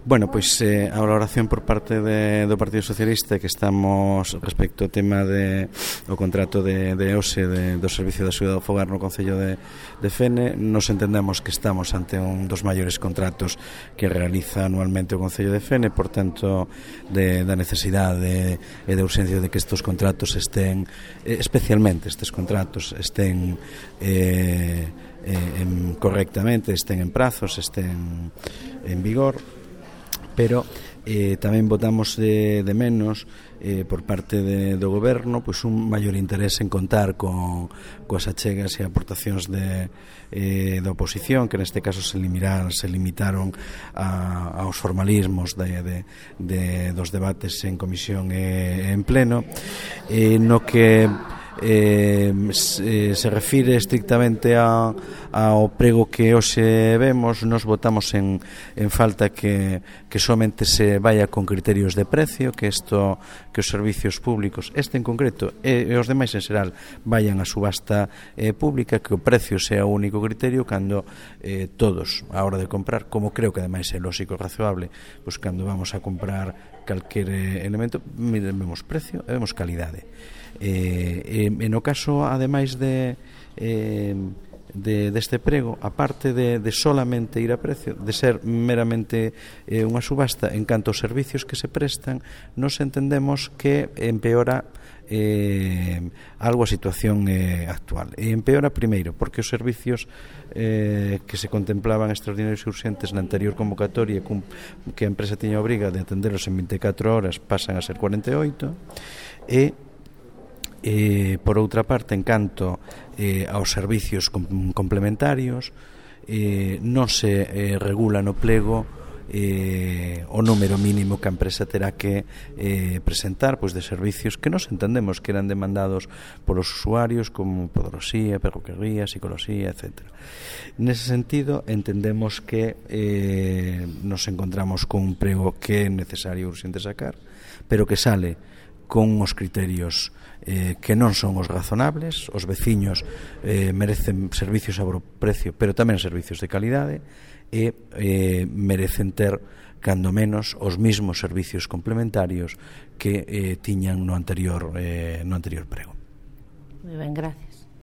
Bueno, pois a valoración por parte do Partido Socialista que estamos respecto ao tema o contrato de OSE do Servicio de Axuda ao Fogar no Concello de Fene. Nos entendemos que estamos ante un dos maiores contratos que realiza anualmente o Concello de Fene, por tanto da necesidade e da urxencia de que estes contratos estén, especialmente estes contratos estén correctamente, estén en prazos, estén en vigor. Pero tamén votamos de menos por parte do goberno pois un maior interés en contar coas achegas e aportacións da oposición, que neste caso se limitaron aos formalismos dos debates en comisión e en pleno, no que se refire estrictamente ao prego que hoxe vemos. Nos votamos en falta que somente se vaya con criterios de precio, que os servicios públicos, este en concreto e os demais en xeral, vayan a subasta pública, que o precio sea o único criterio, cando todos, a hora de comprar, como creo que ademais é lógico e razoable, pois cando vamos a comprar calquer elemento, vemos precio e vemos calidade. No caso, ademais deste prego, aparte de solamente ir a precio, de ser meramente unha subasta, en canto aos servicios que se prestan, nos entendemos que empeora algo a situación actual. E empeora primeiro porque os servicios que se contemplaban extraordinarios e urxentes na anterior convocatoria, que a empresa tiña a obriga de atendelos en 24 horas, pasan a ser 48, e por outra parte, en canto aos servicios complementarios, non se regula no plego o número mínimo que a empresa terá que presentar, pois, de servicios que nos entendemos que eran demandados polos usuarios, como podoloxía, perruquería, psicoloxía, etc. Nese sentido, entendemos que nos encontramos con un prego que é necesario urxente sacar, pero que sale con os criterios que non son os razonables. Os veciños merecen servicios a precio, pero tamén servicios de calidade, e merecen ter, cando menos, os mismos servicios complementarios que tiñan no anterior prego. Moi ben, gracias.